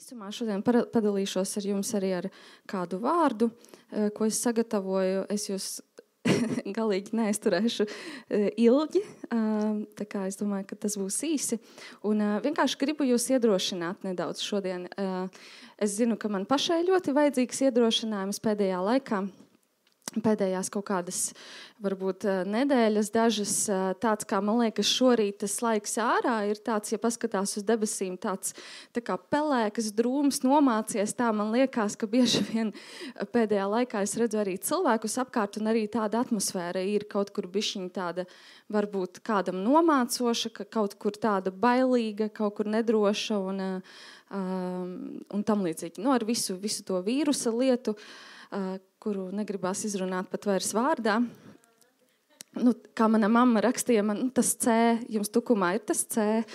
Īsumā šodien padalīšos ar jums arī ar kādu vārdu, ko es sagatavoju. Es jūs galīgi neizturēšu ilgi, tā kā es domāju, ka tas būs īsi. Un vienkārši gribu jūs iedrošināt nedaudz šodien. Es zinu, ka man pašai ļoti vajadzīgs iedrošinājums pēdējā laikā. Pēdējās kaut kādas, varbūt nedēļas dažas, tāds, kā man liekas, šorīt tas laiks ārā ir tāds, ja paskatās uz debesīm, tāds tā kā pelēkas drūms nomācies, tā man liekas, ka bieži vien pēdējā laikā es redzu arī cilvēkus apkārt un arī tāda atmosfēra ir kaut kur bišķiņ tāda, varbūt kādam nomācoša, ka kaut kur tāda bailīga, kaut kur nedroša un tam līdzīgi. Ar visu to vīrusa lietu, kuru negribās izrunāt pat vairs vārdā. Kā mana mamma rakstīja, man tas C, jums tukumā ir tas C.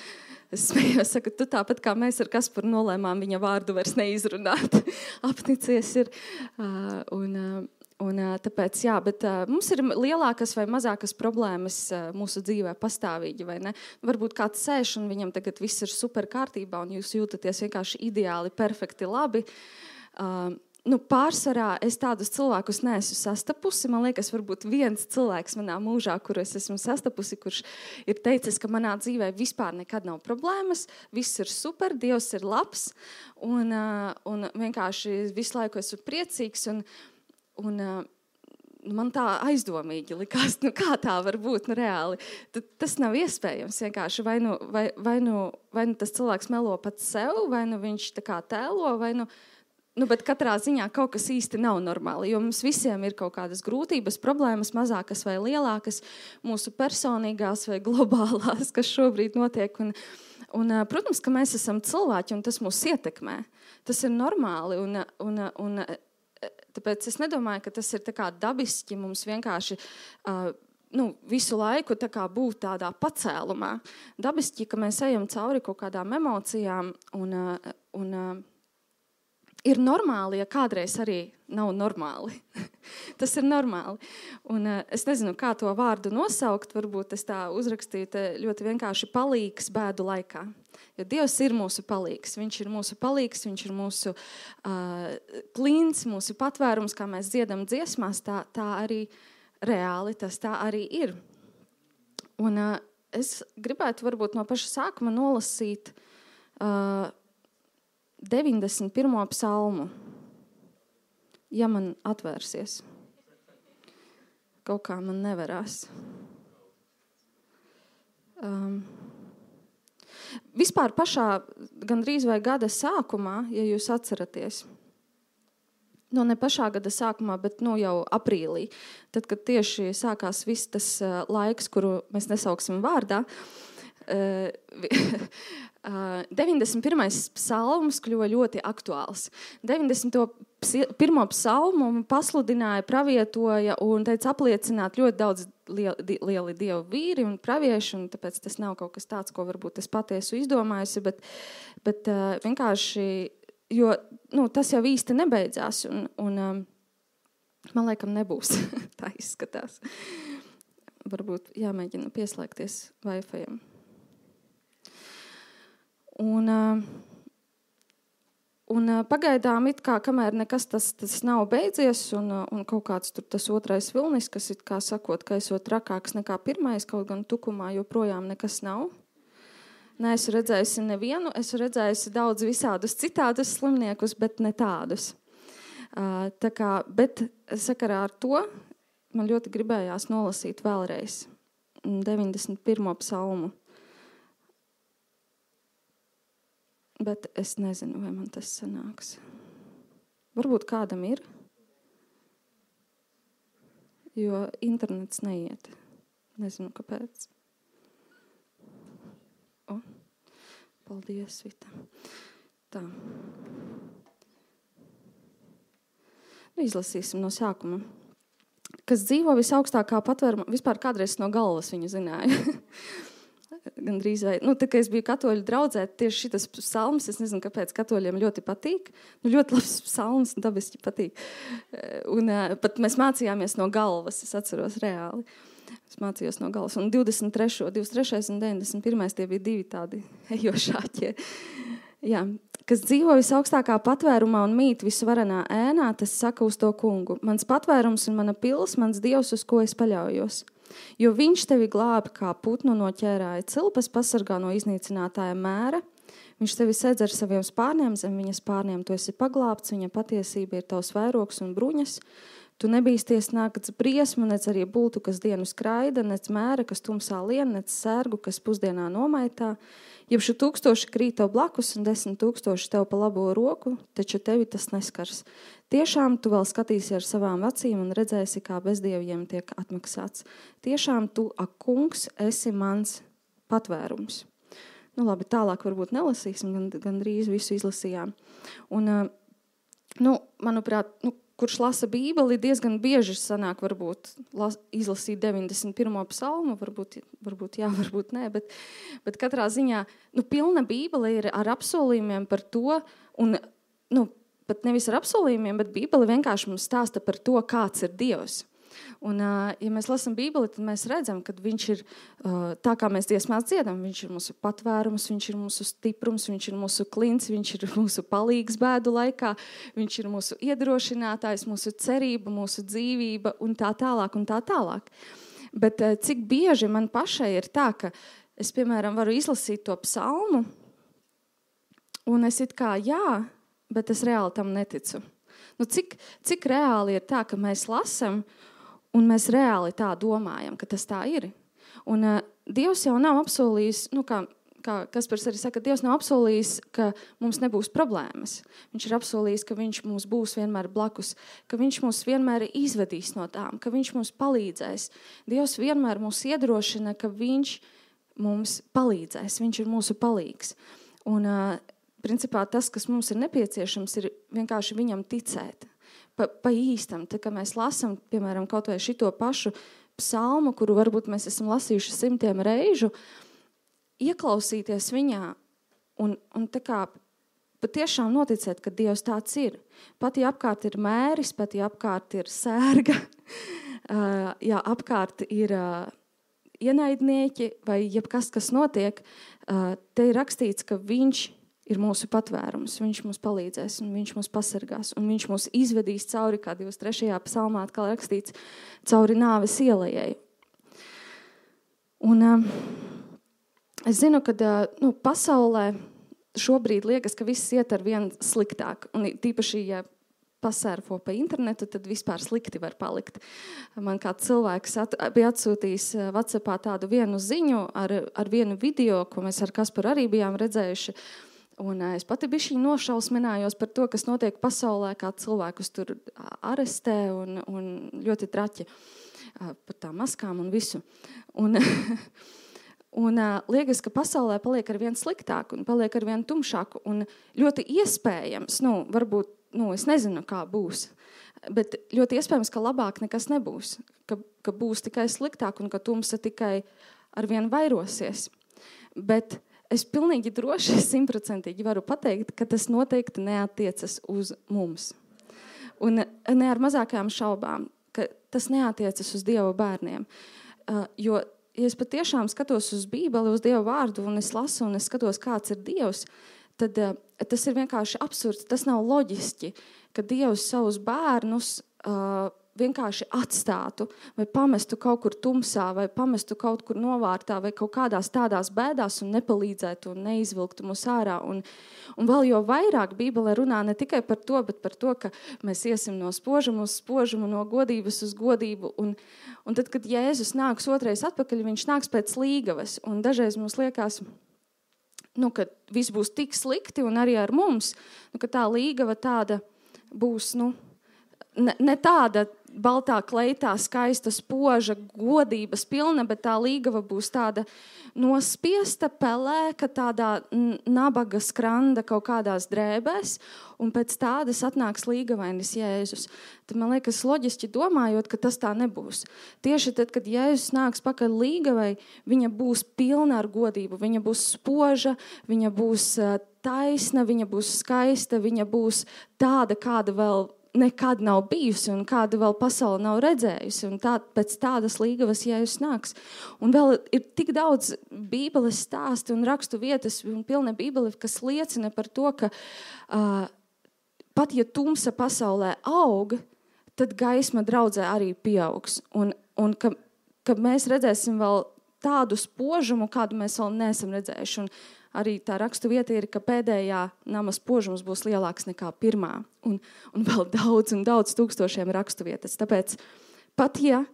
Es smējos, saku, tu tāpat kā mēs ar Kasparu nolēmām viņa vārdu vairs neizrunāt. Apnicies ir. Un tāpēc, jā, bet mums ir lielākas vai mazākas problēmas mūsu dzīvē pastāvīgi, vai ne? Varbūt kāds sēž un viņam tagad viss ir super kārtībā un jūs jūtaties vienkārši ideāli, perfekti, labi. Pārsvarā es tādus cilvēkus neesmu sastapusi. Man liekas, varbūt viens cilvēks manā mūžā, kuru es esmu sastapusi, kurš ir teicis, ka manā dzīvē vispār nekad nav problēmas, viss ir super, Dievs ir labs, un vienkārši visu laiku esmu priecīgs, un man tā aizdomīgi likās, kā tā var būt reāli. Tas nav iespējams vienkārši. Vai nu tas cilvēks melo pats sev, vai nu viņš tā kā tēlo, vai bet katrā ziņā kaut kas īsti nav normāli, jo mums visiem ir kaut kādas grūtības, problēmas, mazākas vai lielākas, mūsu personīgās vai globālās, kas šobrīd notiek. Un protams, ka mēs esam cilvēki, un tas mūs ietekmē. Tas ir normāli, un tāpēc es nedomāju, ka tas ir tā kā dabiski mums vienkārši visu laiku tā kā būt tādā pacēlumā. Dabiski, ka mēs ejam cauri kaut kādām emocijām, un ir normāli, ja kādreiz arī nav normāli. Tas ir normāli. Un es nezinu, kā to vārdu nosaukt, varbūt es tā uzrakstīju ļoti vienkārši palīgs bēdu laikā. Jo Dievs ir mūsu palīgs. Viņš ir mūsu palīgs, viņš ir mūsu klīns, mūsu patvērums, kā mēs dziedam dziesmās, tā arī reāli, tas tā arī ir. Un es gribētu varbūt no paša sākuma nolasīt 91. psalmu, ja man atvērsies. Kaut kā man nevarās. Vispār pašā gandrīz vai gada sākumā, ja jūs atceraties, ne pašā gada sākumā, bet jau aprīlī, tad, kad tieši sākās viss tas laiks, kuru mēs nesauksim vārdā, 91. psalms kļuva ļoti aktuāls. 91. psalmu pasludināja, pravietoja un teica apliecināt ļoti daudz lieli dievu vīri un pravieši, un tāpēc tas nav kaut kas tāds, ko varbūt es patiesu izdomājusi, bet vienkārši, jo tas jau īsti nebeidzās, un man laikam nebūs. Tā izskatās. Varbūt jāmēģina pieslēgties Wi-Fi-am. Un pagaidām it kā, kamēr nekas tas nav beidzies un kaut kāds tur tas otrais vilnis, kas it kā sakot, ka esot trakāks nekā pirmais, kaut gan tukumā joprojām nekas nav. Neesmu redzējusi nevienu, esmu redzējusi daudz visādus citādus slimniekus, bet ne tādus. Bet sakarā ar to man ļoti gribējās nolasīt vēlreiz 91. psalmu. Bet es nezinu, vai man tas sanāks. Varbūt kādam ir, jo internets neiet. Nezinu, kāpēc. Paldies, Vita. Tā. Izlasīsim no sākuma. Kas dzīvo visaugstākā patvērumā, vispār kādreiz no galvas viņu zināja. Gandrīz vai, tā kā es biju katoļu draudzē, tieši šitas psalms, es nezinu, kāpēc katoļiem ļoti patīk. Ļoti labs psalms, dabiski patīk. Un pat mēs mācījāmies no galvas, es atceros reāli. Es mācījos no galvas. Un 23. un 91. tie bija divi tādi ejošāķie. Jā, kas dzīvo visaugstākā patvērumā un mīt visvarenā ēnā, tas saka uz to kungu. Mans patvērums un mana pils, mans Dievs, uz ko es paļaujos. Jo viņš tevi glābi kā putnu no ķērāja cilpas, pasargā no iznīcinātāja mēra. Viņš tevi sedz ar saviem spārniem, zem viņa spārniem tu esi paglābts, viņa patiesība ir tavs vairogs un bruņas. Tu nebīsties nakts briesmu, nec arī bultu, kas dienu skraida, nec mēra, kas tumsā lien, nec sērgu, kas pusdienā nomaitā. Jebšu 1000 krīt tev blakus un 10 000 tev pa labo roku, taču tevi tas neskars. Tiešām tu vēl skatīsi ar savām acīm un redzēsi, kā bezdieviem tiek atmaksāts. Tiešām tu, ak kungs, esi mans patvērums. Nu labi, tālāk varbūt nelasīsim, gan drīz visu izlasījām. Un, manuprāt, kurš lasa Bībeli, diezgan bieži sanāk varbūt izlasīt 91. psalmu, varbūt jā, varbūt nē, bet katrā ziņā, pilna Bībele ir ar apsolījumiem par to, un, pat nevis ar apsolījumiem, bet Bībele vienkārši mums stāsta par to, kāds ir Dievs. Un, ja mēs lasām Bībeli, tad mēs redzam, ka viņš ir, tā kā mēs dziesmās dziedam, viņš ir mūsu patvērums, viņš ir mūsu stiprums, viņš ir mūsu klints, viņš ir mūsu palīgs bēdu laikā, viņš ir mūsu iedrošinātājs, mūsu cerība, mūsu dzīvība un tā tālāk un tā tālāk. Bet cik bieži man pašai ir tā, ka es, piemēram, varu izlasīt to psalmu un es it kā jā, bet es reāli tam neticu. Cik reāli ir tā, ka mēs lasam un mēs reāli tā domājam, ka tas tā ir. Un Dievs jau nav apsolījis, kā Kaspars arī saka, Dievs nav apsolījis, ka mums nebūs problēmas. Viņš ir apsolījis, ka viņš mums būs vienmēr blakus, ka viņš mūs vienmēr izvedīs no tām, ka viņš mums palīdzēs. Dievs vienmēr mūs iedrošina, ka viņš mums palīdzēs, viņš ir mūsu palīgs. Un principā tas, kas mums ir nepieciešams, ir vienkārši viņam ticēt. Pa īstam, tā kā mēs lasam, piemēram, kaut vai šito pašu psalmu, kuru varbūt mēs esam lasījuši 100 reižu, ieklausīties viņā un tā kā patiešām noticēt, ka Dievs tāds ir. Pat ja apkārt ir mēris, pat ja apkārt ir sērga, ja apkārt ir ienaidnieki vai jebkas, kas notiek, te ir rakstīts, ka viņš ir mūsu patvērums, viņš mums palīdzēs un viņš mums pasargās un viņš mūs izvedīs cauri, kā 23. psalmā atkal rakstīts, cauri nāves ielejai. Un es zinu, ka pasaulē šobrīd liekas, ka viss iet ar vien sliktāk un tīpaši, ja pasērfo pa internetu, tad vispār slikti var palikt. Man kāds cilvēks bija atsūtījis WhatsAppā tādu vienu ziņu ar vienu video, ko mēs ar Kasparu arī bijām redzējuši. Un es pati bišķiņ nošausminājos par to, kas notiek pasaulē, kā cilvēkus tur arestē un ļoti traķi par tām maskām un visu. Un liekas, ka pasaulē paliek ar vien sliktāk un paliek ar vien tumšāk un ļoti iespējams, varbūt, es nezinu, kā būs, bet ļoti iespējams, ka labāk nekas nebūs, ka būs tikai sliktāk un ka tumsa tikai ar vien vairosies. Bet es pilnīgi droši 100% varu pateikt, ka tas noteikti neatiecas uz mums. Un ne ar mazākajām šaubām, ka tas neatiecas uz Dieva bērniem. Jo, ja es patiešām skatos uz Bībeli, uz Dieva vārdu, un es lasu, un es skatos, kāds ir Dievs, tad tas ir vienkārši absurds. Tas nav loģiski, ka Dievs savus bērnus vienkārši atstātu vai pamestu kaut kur tumsā vai pamestu kaut kur novārtā vai kaut kādās tādās bēdās un nepalīdzētu un neizvilktu mūs ārā. Un vēl jo vairāk Bībele runā ne tikai par to, bet par to, ka mēs iesim no spožuma uz spožumu, no godības uz godību. Un tad, kad Jēzus nāks otrais atpakaļ, viņš nāks pēc līgavas. Un dažreiz mums liekas, ka viss būs tik slikti un arī ar mums, ka tā līgava tāda būs, ne tāda baltā kleitā, skaista, spoža, godības pilna, bet tā līgava būs tāda nospiesta, pelēka, tādā nabaga skranda kaut kādās drēbēs, un pēc tādas atnāks līgavainis Jēzus. Tad man liekas loģiski domājot, ka tas tā nebūs. Tieši tad, kad Jēzus nāks pakaļ līgavai, viņa būs pilna ar godību, viņa būs spoža, viņa būs taisna, viņa būs skaista, viņa būs tāda, kāda vēl nekad nav bijusi un kāda vēl pasaule nav redzējusi. Un pēc tādas līgavas Jēzus nāks. Un vēl ir tik daudz Bībeles stāsti un rakstu vietas un pilna Bībele, kas liecina par to, ka pat ja tumsa pasaulē aug, tad gaisma draudzē arī pieaugs. Un ka mēs redzēsim vēl tādu spožumu, kādu mēs vēl neesam redzējuši. Un arī tā rakstu vieta ir, ka pēdējā nama spožums būs lielāks nekā pirmā. Un vēl daudz tūkstošiem rakstu vietas. Tāpēc pat ja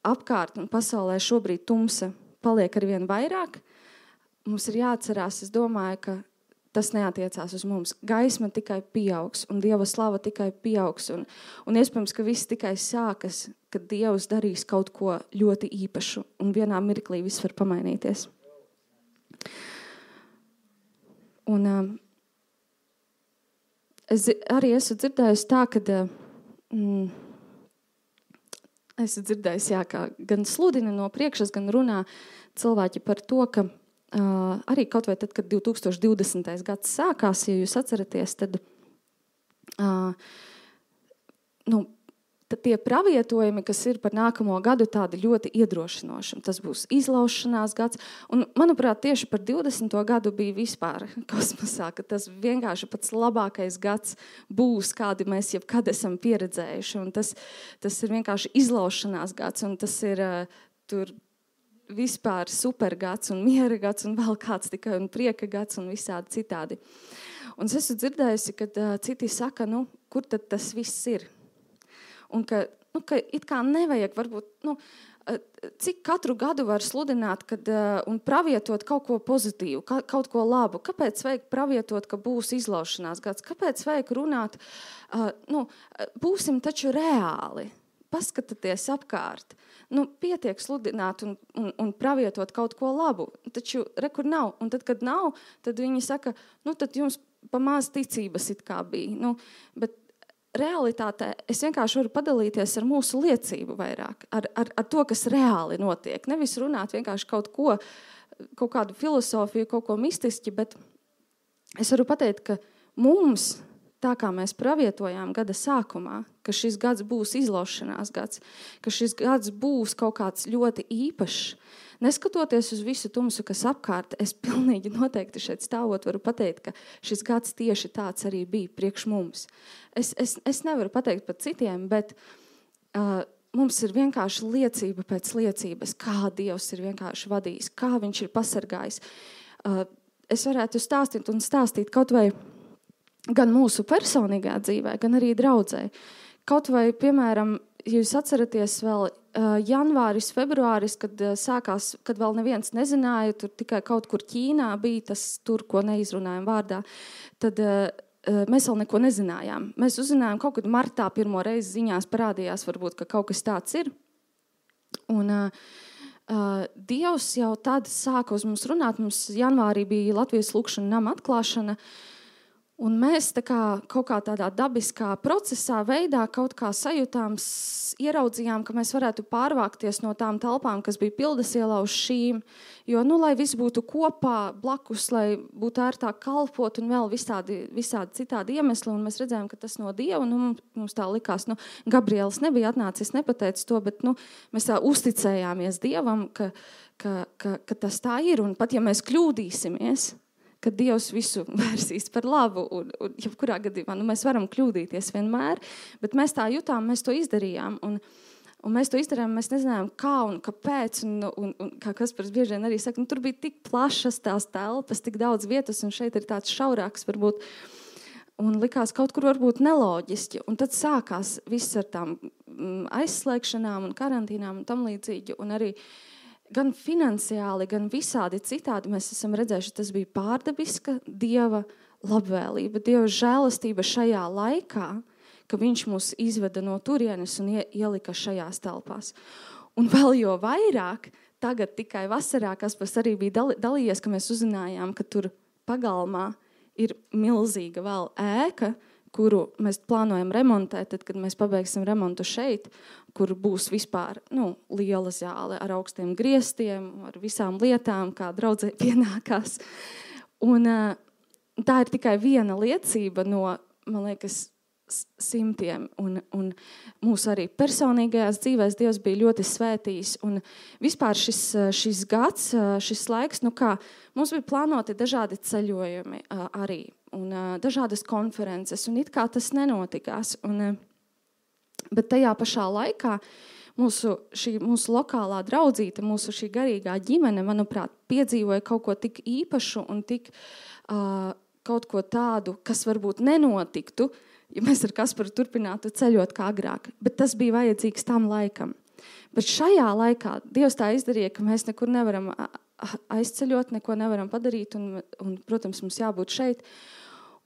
apkārt un pasaulē šobrīd tumsa paliek arvien vairāk, mums ir jāatcerās, es domāju, ka tas neatiecās uz mums. Gaisma tikai pieaugs un Dieva slava tikai pieaugs. Un iespējams, ka viss tikai sākas, kad Dievs darīs kaut ko ļoti īpašu un vienā mirklī viss var pamainīties. Un es arī esmu dzirdējusi tā, kad esmu dzirdējusi, kā gan sludina no priekšas, gan runā cilvēki par to, ka arī kaut vai tad, kad 2020. gads sākās, ja jūs atceraties, tad tie pravietojumi, kas ir par nākamo gadu, tādi ļoti iedrošinoši. Tas būs izlaušanās gads. Un, manuprāt, tieši par 20. gadu bija vispār kosmosā, ka tas vienkārši pats labākais gads būs, kādi mēs jebkad esam pieredzējuši. Un tas ir vienkārši izlaušanās gads, un tas ir tur vispār supergads un miera gads un vēl kāds tikai un prieka gads un visādi citādi. Un es esmu dzirdējusi, kad citi saka, kur tad tas viss ir? Un ka it kā nevajag varbūt, cik katru gadu var sludināt un pravietot kaut ko pozitīvu, kaut ko labu. Kāpēc vajag pravietot, ka būs izlaušanās gads? Kāpēc vajag runāt, būsim taču reāli? Paskatieties apkārt. Pietiek sludināt un pravietot kaut ko labu. Taču rekur nav. Un tad, kad nav, tad viņi saka, tad jums pa maz ticības it kā bija. Bet realitātē es vienkārši varu padalīties ar mūsu liecību vairāk, ar to, kas reāli notiek. Nevis runāt vienkārši kaut kādu filosofiju, kaut ko mistiski, bet es varu pateikt, ka mums, tā kā mēs pravietojām gada sākumā, ka šis gads būs izlaušanās gads, ka šis gads būs kaut kāds ļoti īpašs, neskatoties uz visu tumsu, kas apkārt, es pilnīgi noteikti šeit stāvot varu pateikt, ka šis gads tieši tāds arī bija priekš mums. Es nevaru pateikt par citiem, bet mums ir vienkārši liecība pēc liecības, kā Dievs ir vienkārši vadījis, kā viņš ir pasargājis. Es varētu stāstīt kaut vai gan mūsu personīgā dzīvē, gan arī draudzē. Kaut vai, piemēram, jūs atceraties vēl janvāris, februāris, kad sākās, kad vēl neviens nezināja, tur tikai kaut kur Ķīnā bija tas tur, ko neizrunājam vārdā, tad mēs vēl neko nezinājām. Mēs uzzinājām kaut kad martā pirmo reizi ziņās parādījās, varbūt, ka kaut kas tāds ir. Un Dievs jau tad sāka uz mums runāt. Mums janvārī bija Latvijas lūkšana nama atklāšana. Un mēs kaut kā tādā dabiskā procesā veidā kaut kā sajūtām, ieraudzījām, ka mēs varētu pārvākties no tām telpām, kas bija Pildes ielā uz šīm, jo, lai viss būtu kopā blakus, lai būtu ērtāk kalpot un vēl visādi citādi iemesli, un mēs redzējām, ka tas no Dieva, mums tā likās, Gabriels nebija atnācis, nepateicis to, bet, mēs tā uzticējāmies Dievam, ka tas tā ir, un pat ja mēs kļūdīsimies, ka Dievs visu vērsīs par labu, un jebkurā gadījumā, mēs varam kļūdīties vienmēr, bet mēs tā jutām, mēs to izdarījām, un mēs to izdarījām, mēs nezinājām, kā un kāpēc, un kā Kaspars bieži vien arī saka, tur bija tik plašas tās telpas, tik daudz vietas, un šeit ir tāds šaurāks varbūt, un likās kaut kur varbūt neloģiski, un tad sākās viss ar tām aizslēgšanām un karantīnām un tam līdzīgi, un arī gan finansiāli, gan visādi citādi mēs esam redzējuši, tas bija pārdabiska Dieva labvēlība, Dieva žēlastība šajā laikā, ka viņš mūs izveda no turienes un ielika šajās telpās. Un vēl jo vairāk, tagad tikai vasarā, Kaspars arī bija dalījies, ka mēs uzzinājām, ka tur pagalmā ir milzīga vēl ēka, kuru mēs plānojam remontēt, tad, kad mēs pabeigsim remontu šeit, kur būs vispār liela zāle ar augstiem griestiem, ar visām lietām, kā draudzē pienākās. Un tā ir tikai viena liecība no, man liekas, simtiem, un mūsu arī personīgajās dzīvēs Dievs bija ļoti svētījis, un vispār šis gads, šis laiks, mums bija plānoti dažādi ceļojumi arī, un dažādas konferences, un it kā tas nenotikās, bet tajā pašā laikā mūsu lokālā draudzīte, mūsu šī garīgā ģimene, manuprāt, piedzīvoja kaut ko tik īpašu un tik kaut ko tādu, kas varbūt nenotiktu, ja mēs ar Kasparu turpinātu ceļot kā agrāk. Bet tas bija vajadzīgs tam laikam. Bet šajā laikā Dievs tā izdarīja, ka mēs nekur nevaram aizceļot, neko nevaram padarīt, un protams, mums jābūt šeit.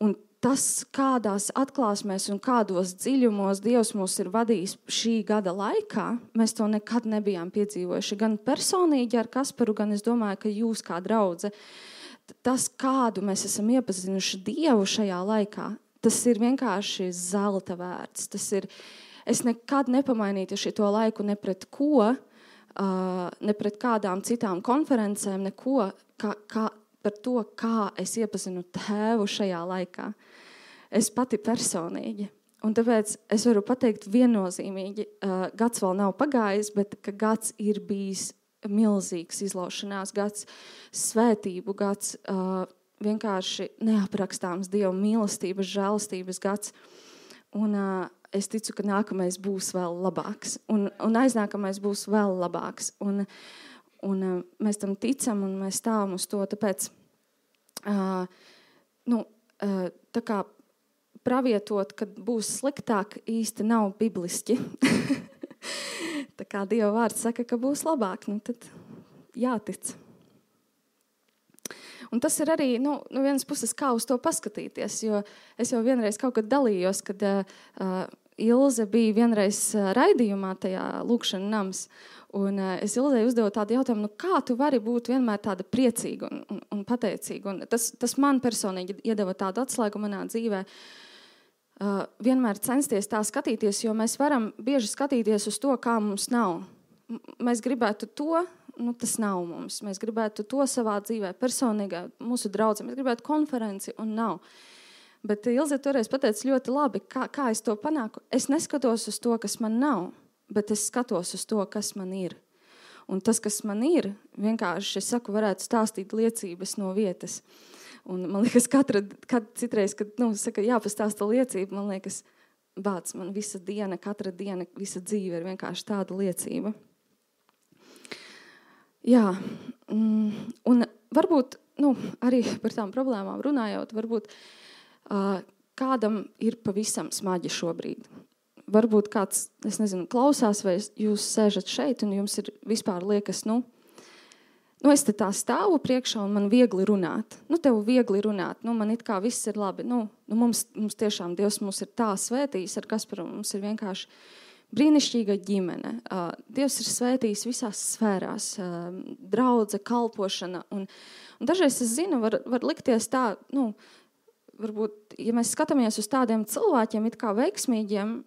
Un tas, kādās atklāsmēs un kādos dziļumos Dievs mūs ir vadījis šī gada laikā, mēs to nekad nebijām piedzīvojuši. Gan personīgi ar Kasparu, gan es domāju, ka jūs kā draudze. Tas, kādu mēs esam iepazinuši Dievu šajā laikā, tas ir vienkārši zelta vērts. Es nekad nepamainītu šito laiku ne pret ko, ne pret kādām citām konferencēm, neko, par to, kā es iepazinu Tēvu šajā laikā. Es pati personīgi. Un tāpēc es varu pateikt viennozīmīgi, gads vēl nav pagājis, bet ka gads ir bijis milzīgs izlaušanās, gads svētību, gads vienkārši neaprakstāms Dieva mīlestības, žēlastības gads. Un es ticu, ka nākamais būs vēl labāks. Un aiznākamais būs vēl labāks. Un mēs tam ticam un mēs stāvam uz to, tāpēc tā kā pravietot, kad būs sliktāk, īsti nav bibliski. Tā kā Dieva vārds saka, ka būs labāk, tad jātic. Un tas ir arī, no vienas puses, kā uz to paskatīties, jo es jau vienreiz kaut kad dalījos, kad Ilze bija vienreiz raidījumā tajā lūkšana nams, un es Ilzei uzdevu tādu jautājumu, kā tu vari būt vienmēr tāda priecīga un pateicīga. Un tas man personīgi iedeva tādu atslēgu manā dzīvē, vienmēr censties tā skatīties, jo mēs varam bieži skatīties uz to, kā mums nav. Mēs gribētu to, tas nav mums. Mēs gribētu to savā dzīvē, personīgā, mūsu draudzē. Mēs gribētu konferenci un nav. Bet Ilze toreiz pateica ļoti labi, kā es to panāku. Es neskatos uz to, kas man nav, bet es skatos uz to, kas man ir. Un tas, kas man ir, vienkārši, es saku, varētu stāstīt liecības no vietas. Un man liekas, citreiz, kad saka, jāpastāsta liecība, man liekas, man visa diena, katra diena, visa dzīve ir vienkārši tāda liecība. Jā, un varbūt, arī par tām problēmām runājot, varbūt kādam ir pavisam smagi šobrīd. Varbūt kāds, es nezinu, klausās, vai jūs sēžat šeit, un jums ir vispār liekas, es te tā stāvu priekšā, un man viegli runāt. Tev viegli runāt, man it kā viss ir labi. Mums tiešām Dievs mūs ir tā svētījis ar Kasparu, mums ir vienkārši brīnišķīga ģimene. Dievs ir svētījis visās sfērās, draudze, kalpošana. Un dažreiz es zinu, var likties tā, varbūt, ja mēs skatāmies uz tādiem cilvēkiem, it kā veiksmīgiem,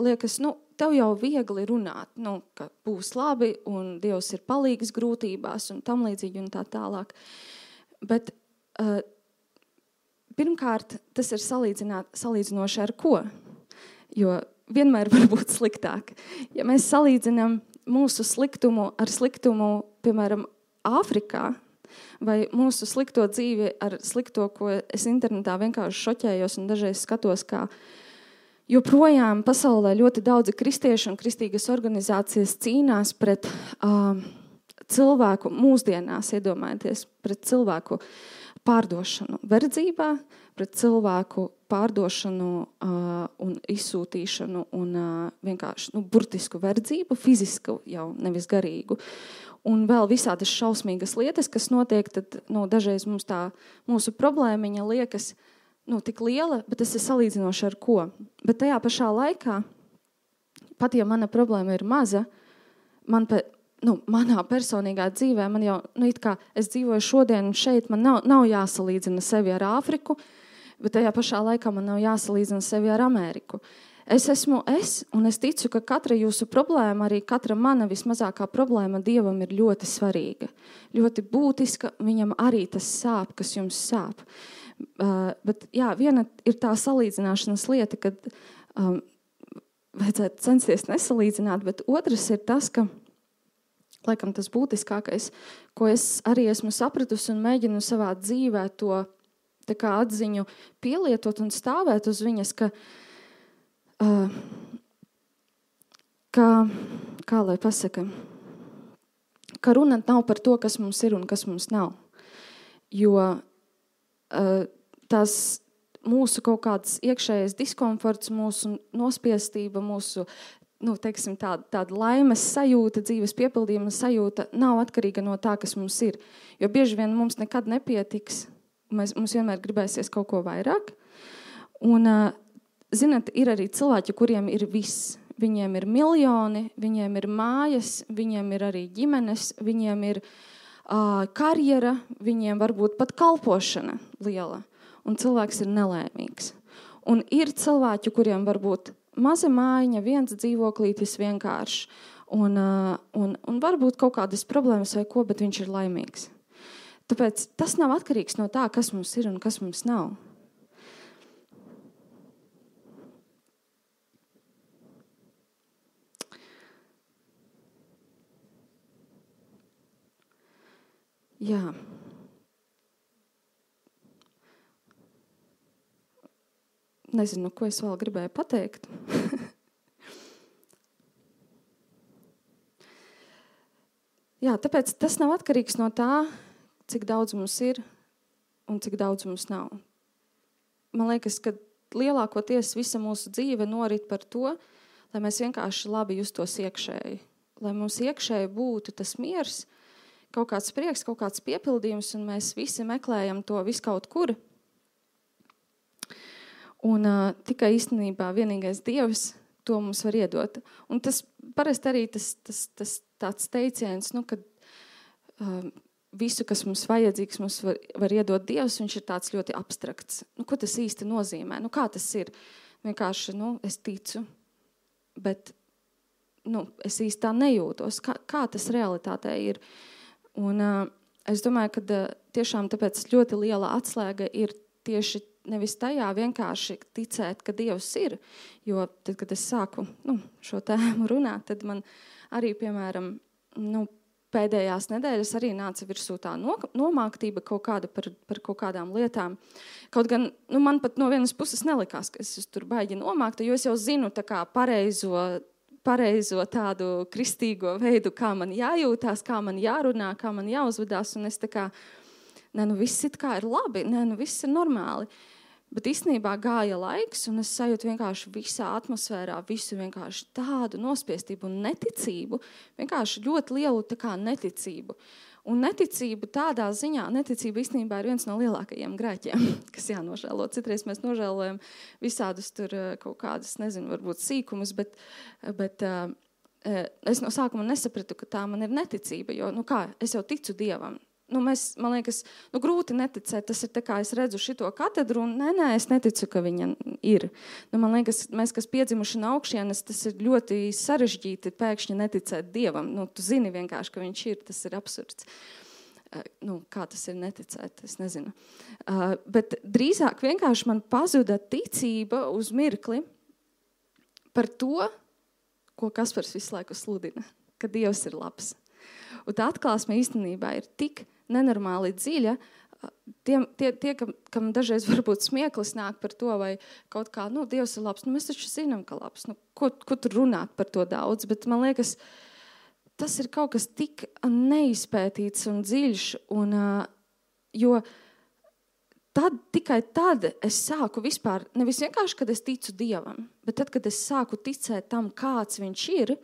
liekas, tev jau viegli runāt, ka būs labi un Dievs ir palīgs grūtībās un tam līdzīgi un tā tālāk. Bet pirmkārt, tas ir salīdzinoši ar ko? Jo vienmēr var būt sliktāk. Ja mēs salīdzinām mūsu sliktumu ar sliktumu, piemēram, Āfrikā, vai mūsu slikto dzīvi ar slikto, ko es internetā vienkārši šoķējos un dažreiz skatos, kā joprojām pasaulē ļoti daudzi kristieši un kristīgas organizācijas cīnās pret cilvēku mūsdienās, iedomājieties, pret cilvēku pārdošanu verdzībā, pret cilvēku pārdošanu un izsūtīšanu un vienkārši burtisku verdzību, fizisku jau, nevis garīgu. Un vēl visādas šausmīgas lietas, kas notiek, tad dažreiz mums tā mūsu problēmiņa liekas tik liela, bet tas ir salīdzinoši ar ko. Bet tajā pašā laikā, pat ja mana problēma ir maza, manā personīgā dzīvē, man jau, it kā es dzīvoju šodien un šeit, man nav jāsalīdzina sevi ar Āfriku, bet tajā pašā laikā man nav jāsalīdzina sevi ar Ameriku. Es esmu un es ticu, ka katra jūsu problēma, arī katra mana vismazākā problēma Dievam ir ļoti svarīga, ļoti būtiska, viņam arī tas sāp, kas jums sāp. Bet jā, viena ir tā salīdzināšanas lieta, kad vajadzētu censties nesalīdzināt, bet otrs ir tas, ka, laikam tas būtiskākais, ko es arī esmu sapratusi un mēģinu savā dzīvē to tā kā atziņu pielietot un stāvēt uz viņas, kā lai pasaka, ka runa nav par to, kas mums ir un kas mums nav. Jo tās mūsu kaut kāds iekšējais diskomforts, mūsu nospiestība, mūsu teiksim, tāda laimes sajūta, dzīves piepildījuma sajūta nav atkarīga no tā, kas mums ir. Jo bieži vien mums nekad nepietiks. Mums vienmēr gribēsies kaut ko vairāk. Un, zināt, ir arī cilvēki, kuriem ir viss. Viņiem ir miljoni, viņiem ir mājas, viņiem ir arī ģimenes, viņiem ir karjera, viņiem varbūt pat kalpošana liela. Un cilvēks ir nelēmīgs. Un ir cilvēki, kuriem varbūt maza mājiņa, viens dzīvoklītis vienkārši. Un varbūt kaut kādas problēmas vai ko, bet viņš ir laimīgs. Tāpēc tas nav atkarīgs no tā, kas mums ir un kas mums nav. Jā. Nezinu, ko es vēl gribēju pateikt. Jā, tāpēc tas nav atkarīgs no tā, cik daudz mums ir un cik daudz mums nav. Man liekas, ka lielākoties visa mūsu dzīve norit par to, lai mēs vienkārši labi justos iekšēji. Lai mums iekšēji būtu tas miers, kaut kāds prieks, kaut kāds piepildījums, un mēs visi meklējam to viskaut kur. Un tikai īstenībā vienīgais Dievs to mums var iedot. Un tas parasti arī tas tāds teiciens, kad visu, kas mums vajadzīgs, mums var iedot Dievs, viņš ir tāds ļoti abstrakts. Ko tas īsti nozīmē? Kā tas ir? Vienkārši, es ticu, bet es īsti tā nejūtos. Kā tas realitātē ir? Un es domāju, ka tiešām tāpēc ļoti liela atslēga ir tieši nevis tajā vienkārši ticēt, ka Dievs ir, jo tad, kad es sāku šo tēmu runāt, tad man arī, piemēram, pēdējās nedēļas arī nāca virsū tā nomāktība kaut kāda par kaut kādām lietām. Kaut gan, man pat no vienas puses nelikās, ka es tur baigi nomāktu, jo es jau zinu tā kā pareizo tādu kristīgo veidu, kā man jājūtās, kā man jārunā, kā man jāuzvedās, un es tā kā, viss it kā ir labi, viss ir normāli. Bet īstenībā gāja laiks, un es sajūtu vienkārši visā atmosfērā visu vienkārši tādu nospiestību un neticību, vienkārši ļoti lielu tā kā neticību. Un neticība tādā ziņā, neticība īstenībā ir viens no lielākajiem grēkiem, kas jānožēlo. Citreiz mēs nožēlojam visādus tur kaut kādas, varbūt sīkumus, bet es no sākuma nesapratu, ka tā man ir neticība, jo, es jau ticu Dievam. Man liekas, grūti neticēt, tas ir tā kā es redzu šito katedru, un es neticu, ka viņa ir. Man liekas, mēs, kas piedzimuši no augšienes, tas ir ļoti sarežģīti pēkšņi neticēt Dievam. Tu zini vienkārši, ka viņš ir, tas ir absurds. Kā tas ir neticēt, es nezinu. Bet drīzāk vienkārši man pazuda ticība uz mirkli par to, ko Kaspars visu laiku sludina, ka Dievs ir labs. Un tā atklāsme īstenībā ir tik nenormāli dziļa, tie kam dažreiz varbūt smieklis nāk par to, vai kaut kā, Dievs ir labs, mēs taču zinām, ka labs, ko tur runāt par to daudz, bet man liekas, tas ir kaut kas tik neizpētīts un dziļš, un, jo tikai tad es sāku vispār, nevis vienkārši, kad es ticu Dievam, bet tad, kad es sāku ticēt tam, kāds viņš ir,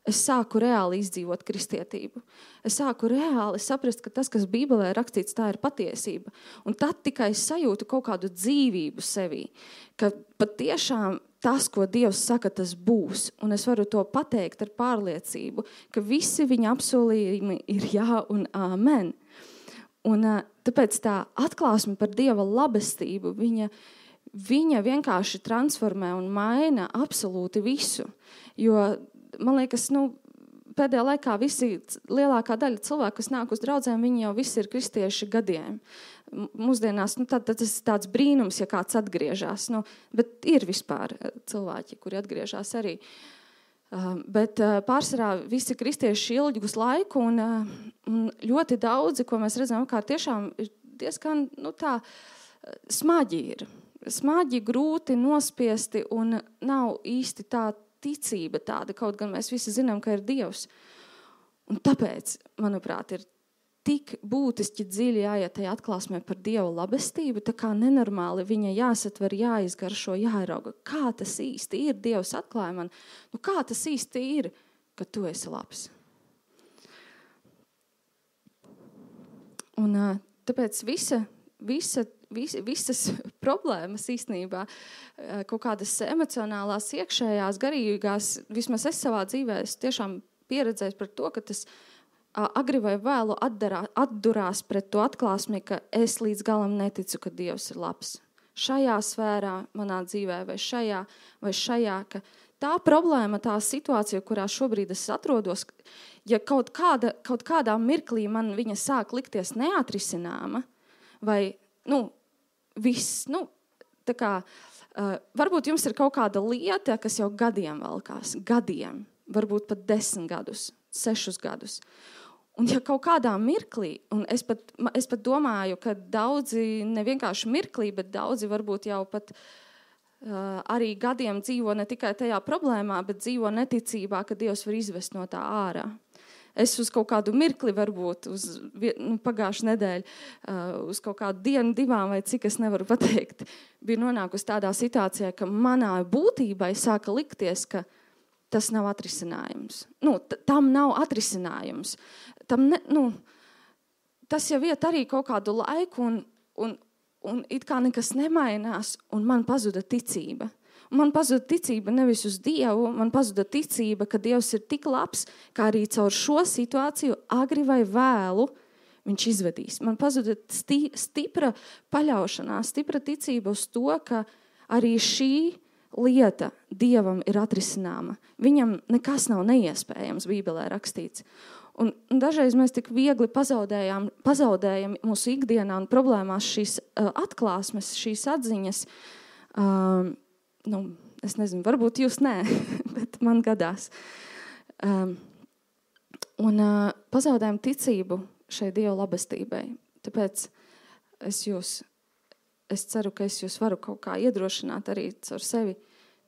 es sāku reāli izdzīvot kristietību. Es sāku reāli saprast, ka tas, kas Bībelē rakstīts, tā ir patiesība. Un tad tikai es sajūtu kaut kādu dzīvību sevī, ka patiešām tas, ko Dievs saka, tas būs. Un es varu to pateikt ar pārliecību, ka visi viņa apsolījumi ir jā un āmen. Un tāpēc tā atklāsme par Dieva labestību, viņa vienkārši transformē un maina absolūti visu. Jo man liekas, pēdējā laikā lielākā daļa cilvēku, kas nāk uz draudzēm, viņi jau visi ir kristieši gadiem. Mūsdienās, tad tas ir tāds brīnums, ja kāds atgriežas. Bet ir vispār cilvēki, kuri atgriežas arī. Bet pārsvarā visi kristieši ilgus laiku un ļoti daudzi, ko mēs redzam, kā tiešām ir diezgan smagi ir. Smagi, grūti, nospiesti un nav īsti tā ticība tāda, kaut gan mēs visi zinām, ka ir Dievs. Un tāpēc, manuprāt, ir tik būtiski dziļi jāiet tajā atklāsmē par Dieva labestību, tā kā nenormāli viņa jāsatver, jāizgaršo, jāierauga. Kā tas īsti ir? Dievs atklāja man. Kā tas īsti ir, ka tu esi labs? Un tāpēc visas problēmas īstenībā, kaut kādas emocionālās, iekšējās, garīgās, vismaz es savā dzīvē, es tiešām pieredzēju par to, ka tas agri vai vēlu atdurās pret to atklāsmi, ka es līdz galam neticu, ka Dievs ir labs. Šajā sfērā manā dzīvē vai šajā, ka tā problēma, tā situācija, kurā šobrīd es atrodos, ja kaut kādā mirklī man viņa sāk likties neatrisināma, vai, viss, tā kā, varbūt jums ir kaut kāda lieta, kas jau gadiem valkās, varbūt pat 10 gadus, 6 gadus. Un ja kaut kādā mirklī, un es pat domāju, ka daudzi, ne vienkārši mirklī, bet daudzi varbūt jau pat arī gadiem dzīvo ne tikai tajā problēmā, bet dzīvo neticībā, ka Dievs var izvest no tā ārā. Es uz kaut kādu mirkli varbūt, pagājušu nedēļu, uz kaut kādu dienu, 2 vai cik es nevaru pateikt, biju nonākusi tādā situācijā, ka manā būtībai sāka likties, ka tas nav atrisinājums. Tam nav atrisinājums. Tas jau iet arī kaut kādu laiku un it kā nekas nemainās, un man pazuda ticība. Man pazuda ticība nevis uz Dievu, man pazuda ticība, ka Dievs ir tik labs, kā arī caur šo situāciju agri vai vēlu viņš izvedīs. Man pazuda stipra paļaušanās, stipra ticība uz to, ka arī šī lieta Dievam ir atrisināma. Viņam nekas nav neiespējams, Bībelē rakstīts. Un dažreiz mēs tik viegli pazaudējam mūsu ikdienā un problēmās šīs atklāsmes, šīs atziņas. Es nezinu, varbūt jūs nē, bet man gadās. Pazaudējam ticību šai Dieva labestībai. Tāpēc es ceru, ka es jūs varu kaut kā iedrošināt arī caur sevi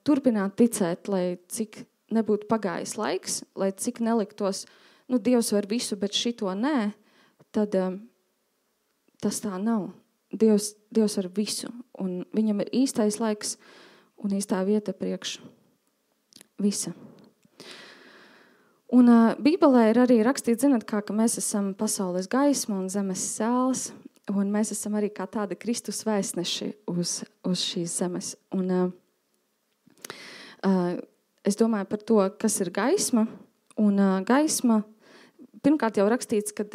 turpināt ticēt, lai cik nebūtu pagājis laiks, lai cik neliktos, Dievs var visu, bet šito nē, tad tas tā nav. Dievs var visu, un viņam ir īstais laiks un īstā vieta priekš visa. Un Bībelē ir arī rakstīts, ka mēs esam pasaules gaisma un zemes sāls, un mēs esam arī kā tādi Kristus vēstneši uz šīs zemes. Un es domāju par to, kas ir gaisma, un gaisma, pirmkārt jau rakstīts, ka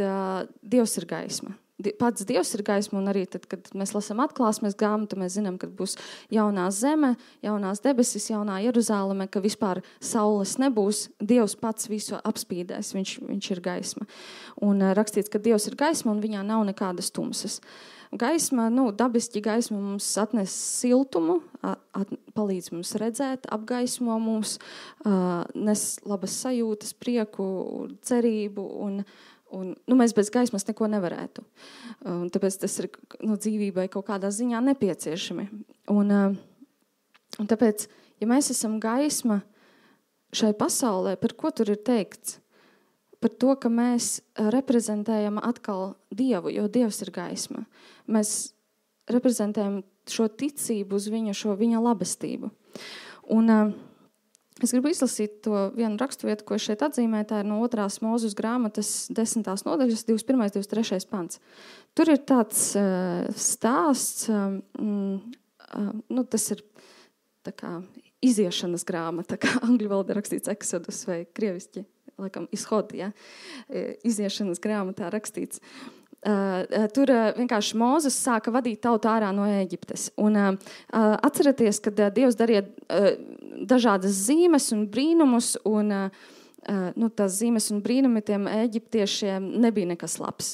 Dievs ir gaisma. Pats Dievs ir gaisma, un arī tad, kad mēs lasām atklāsmes grāmatu, mēs zinām, ka būs jaunā zeme, jaunās debesis, jaunā Jeruzāleme, ka vispār saules nebūs. Dievs pats visu apspīdēs, viņš ir gaisma. Un rakstīts, ka Dievs ir gaisma, un viņā nav nekādas tumsas. Gaisma, dabiski gaisma mums atnes siltumu, palīdz mums redzēt, apgaismo mums, nes labas sajūtas, prieku, cerību, un mēs bez gaismas neko nevarētu. Tāpēc tas ir dzīvībai kaut kādā ziņā nepieciešami. Un tāpēc, ja mēs esam gaisma šai pasaulē, par ko tur ir teikts? Par to, ka mēs reprezentējam atkal Dievu, jo Dievs ir gaisma. Mēs reprezentējam šo ticību uz viņa labestību. Un es gribu izlasīt to vienu raksturvietu, ko šeit atzīmē, tā ir no 2. Mūzes grāmatas 10. nodaļas, 21. 23. pants. Tur ir tāds stāsts, tas ir tā kā iziešanas grāmata, kā angļu valodā rakstīts Exodus vai krieviski, laikam izhod, ja? Iziešanas grāmatā rakstīts. Tur vienkārši Mūzes sāka vadīt tautu ārā no Ēģiptes. Un atcerieties, kad Dievs darīja dažādas zīmes un brīnumus, un tās zīmes un brīnumi tiem eģiptiešiem nebija nekas labs.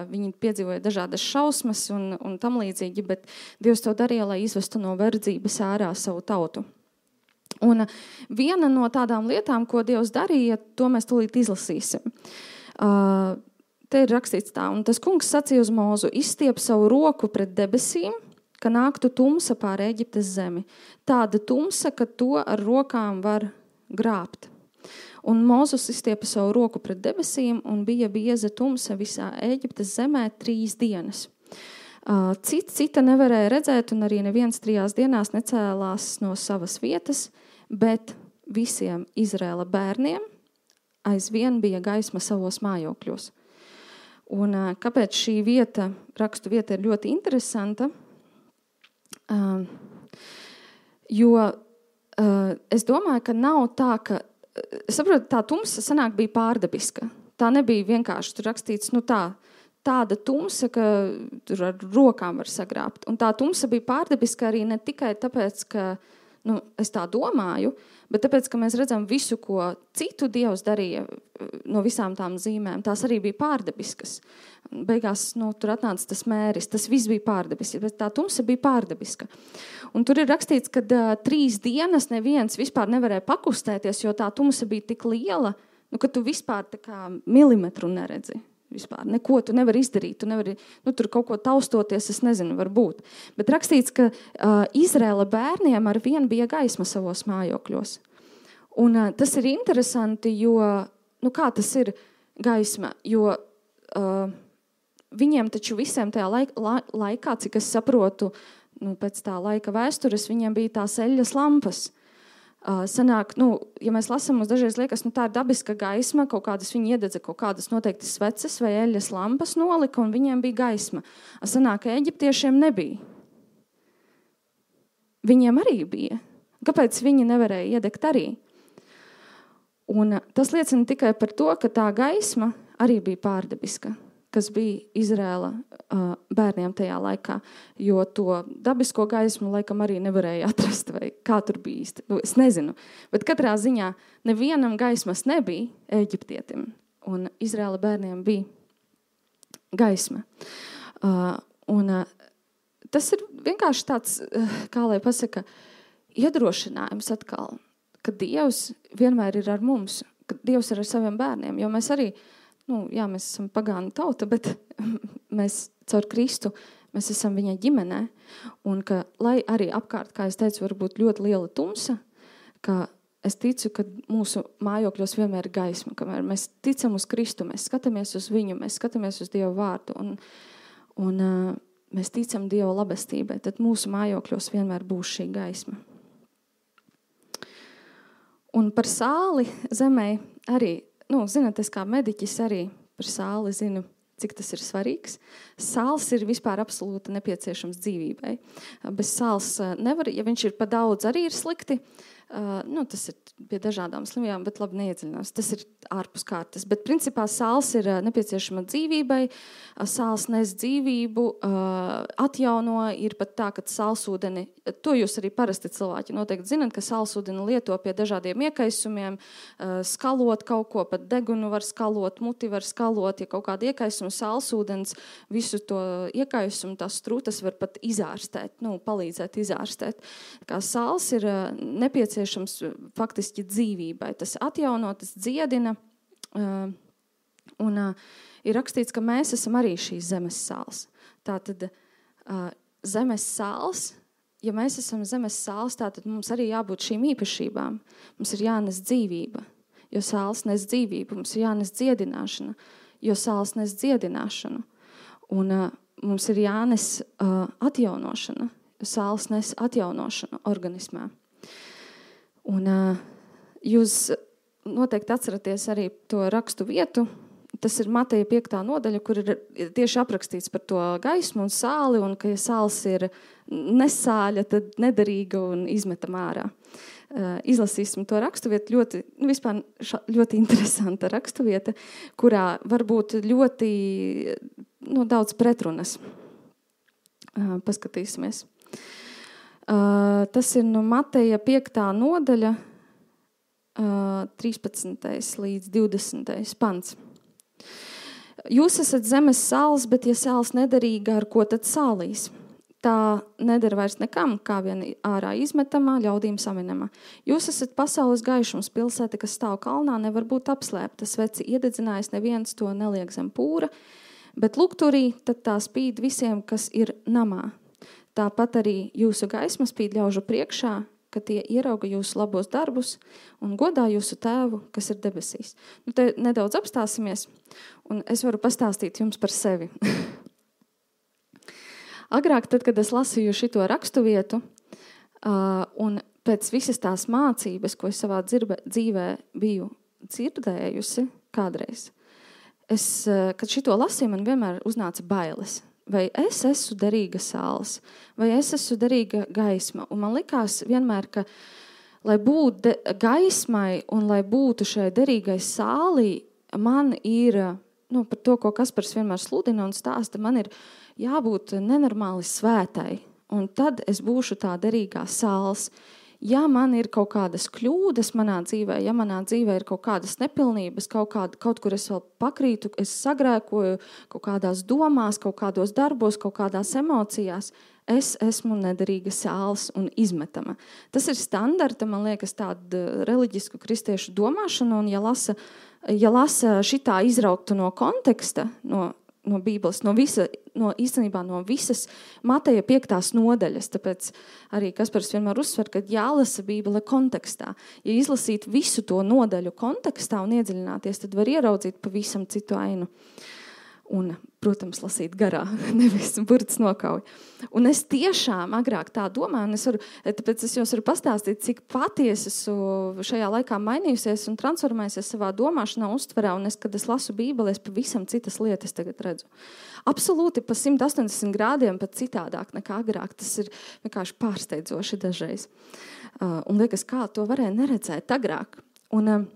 Viņi piedzīvoja dažādas šausmas un tam līdzīgi, bet Dievs to darīja, lai izvestu no verdzības ārā savu tautu. Un viena no tādām lietām, ko Dievs darīja, to mēs tūlīt izlasīsim. Te ir rakstīts tā, un tas kungs sacīja uz Mūzu, izstiep savu roku pret debesīm, ka nāktu tumsa pār Eģiptes zemi. Tāda tumsa, ka to ar rokām var grābt. Un Mūzus izstiepa savu roku pret debesīm, un bija bieza tumsa visā Eģiptes zemē 3 dienas. Cita nevarēja redzēt, un arī neviens 3 dienās necēlās no savas vietas, bet visiem Izraēla bērniem aizvien bija gaisma savos mājokļos. Un kāpēc šī rakstu vieta ir ļoti interesanta? Jo es domāju, ka nav tā, ka es saprotu, tā tumsa sanāk bija pārdabiska. Tā nebija vienkārši tur rakstīts, tāda tumsa, ka tur ar rokām var sagrābt. Un tā tumsa bija pārdabiska arī ne tikai tāpēc, ka es tā domāju, bet tāpēc, ka mēs redzam visu, ko citu Dievs darīja no visām tām zīmēm. Tās arī bija pārdabiskas. Beigās tur atnāca tas mēris, tas viss bija pārdabisks, bet tā tumsa bija pārdabiska. Un tur ir rakstīts, ka 3 dienas neviens vispār nevarēja pakustēties, jo tā tumsa bija tik liela, ka tu vispār tā kā milimetru neredzi. Vispār. Neko tu nevari izdarīt, tu nevari tur kaut ko taustoties, es nezinu, varbūt. Bet rakstīts, ka Izraēla bērniem ar vienu bija gaisma savos mājokļos. Un tas ir interesanti, jo, kā tas ir gaisma, jo viņiem taču visiem tajā laikā, cik es saprotu, pēc tā laika vēstures, viņiem bija tās eļļas lampas. Sanāk, ja mēs lasām, mums dažreiz liekas, tā ir dabiska gaisma, kaut kādas viņi iededza kaut kādas noteikti sveces vai eļļas lampas nolika, un viņiem bija gaisma. Sanāk, ka eģiptiešiem nebija. Viņiem arī bija. Kāpēc viņi nevarēja iedegt arī? Un tas liecina tikai par to, ka tā gaisma arī bija pārdabiska, kas bija Izraēla bērniem tajā laikā, jo to dabisko gaismu laikam arī nevarēja atrast, vai kā tur bija īsti. Es nezinu, bet katrā ziņā nevienam gaismas nebija eģiptietim, un Izraēla bērniem bija gaisma. Tas ir vienkārši tāds, kā lai pasaka, iedrošinājums atkal, ka Dievs vienmēr ir ar mums, ka Dievs ir ar saviem bērniem, jo mēs arī mēs esam pagānu tauta, bet mēs caur Kristu, mēs esam viņa ģimenē. Un ka, lai arī apkārt, kā es teicu, var būt ļoti liela tumsa, ka es ticu, ka mūsu mājokļos vienmēr ir gaisma, kamēr mēs ticam uz Kristu, mēs skatāmies uz viņu, mēs skatāmies uz Dievu vārdu un mēs ticam Dieva labestībai, tad mūsu mājokļos vienmēr būs šī gaisma. Un par sāli zemē arī zināt, es kā mediķis arī par sāli zinu, cik tas ir svarīgs. Sāls ir vispār absolūti nepieciešams dzīvībai. Bez sāls nevar, ja viņš ir pa daudz, arī ir slikti. Tas ir pie dažādām slimībām, bet labi neiedziļinās. Tas ir ārpus kārtas. Bet principā sāls ir nepieciešama dzīvībai. Sāls nes dzīvību, atjauno. Ir pat tā, ka sālsūdeni, to jūs arī parasti cilvēki noteikti zināt, ka sālsūdeni lieto pie dažādiem iekaisumiem, skalot kaut ko, pat degunu var skalot, muti var skalot, ja kaut kāda iekaisuma sālsūdens, visu to iekaisumu, tās strūtas var pat izārstēt, palīdzēt izārstēt. Kā sāls ir nepieciešams faktiski dzīvībai. Tas atjauno, tas dziedina. Un ir rakstīts, ka mēs esam arī šīs zemes sāls. Tātad zemes sāls, ja mēs esam zemes sāls, tātad mums arī jābūt šīm īpašībām. Mums ir jānes dzīvība, jo sāls nes dzīvību. Mums ir jānes dziedināšana, jo sāls nes dziedināšanu. Un mums ir jānes atjaunošana, jo sāls nes atjaunošanu organismā. Un jūs noteikti atceraties arī to rakstu vietu. Tas ir Mateja 5. nodaļa, kur ir tieši aprakstīts par to gaismu un sāli, un ka ja sāls ir nesāļa, tad nederīga un izmetam ārā. Izlasīsim to rakstuvietu, ļoti interesanta rakstuvieta, kurā var būt ļoti daudz pretrunas. Paskatīsimies. Tas ir Mateja 5. nodaļa, 13. līdz 20. pants. Jūs esat zemes sāls, bet ja sāls nederīga, ar ko tad sālīs? Tā nedara vairs nekam, kā vien ārā izmetamā, ļaudīm saminamā. Jūs esat pasaules gaišums, pilsēta, kas stāv kalnā, nevar būt apslēpta. Sveci iededzinājis, neviens to neliek zem pūra, bet lukturī tad tā spīd visiem, kas ir namā. Tāpat arī jūsu gaisma spīd ļaužu priekšā, ka tie ierauga jūsu labos darbus un godā jūsu tēvu, kas ir debesīs. Te nedaudz apstāsimies, un es varu pastāstīt jums par sevi. Agrāk, tad, kad es lasīju šito raksturvietu, un pēc visas tās mācības, ko es savā dzīvē biju dzirdējusi kādreiz, kad šito lasīju, man vienmēr uznāca bailes. Vai es esmu derīga sāls, vai es esmu derīga gaisma. Un man likās vienmēr, ka, lai būtu gaismai un lai būtu šai derīgai sālī, man ir, par to, ko Kaspars vienmēr sludina un stāsta, man ir jābūt nenormāli svētai. Un tad es būšu tā derīgā sāls. Ja man ir kaut kādas kļūdas manā dzīvē, ja manā dzīvē ir kaut kādas nepilnības, kaut kur es vēl pakrītu, es sagrēkoju kaut kādās domās, kaut kādos darbos, kaut kādās emocijās, es esmu nederīga sāls un izmetama. Tas ir standarta, man liekas, tāda reliģisku kristiešu domāšana, un ja lasa šitā izrauktu no konteksta, no Bībeles, īstenībā no visas Mateja 5. nodaļas, tāpēc arī Kaspars vienmēr uzsver, ka jālasa Bībele kontekstā. Ja izlasīt visu to nodaļu kontekstā un iedziļināties, tad var ieraudzīt pavisam citu ainu. Un, protams, lasīt garā, nevis burts nokauj. Un es tiešām agrāk tā domāju, un tāpēc es jums varu pastāstīt, cik patiesi esmu šajā laikā mainījusies un transformējusies savā domāšanā, uztverā, un kad es lasu Bībeli, es pavisam citas lietas tagad redzu. Absolūti pa 180 grādiem pat citādāk nekā agrāk. Tas ir vienkārši pārsteidzoši dažreiz. Un liekas, kā to varēja neredzēt agrāk. Un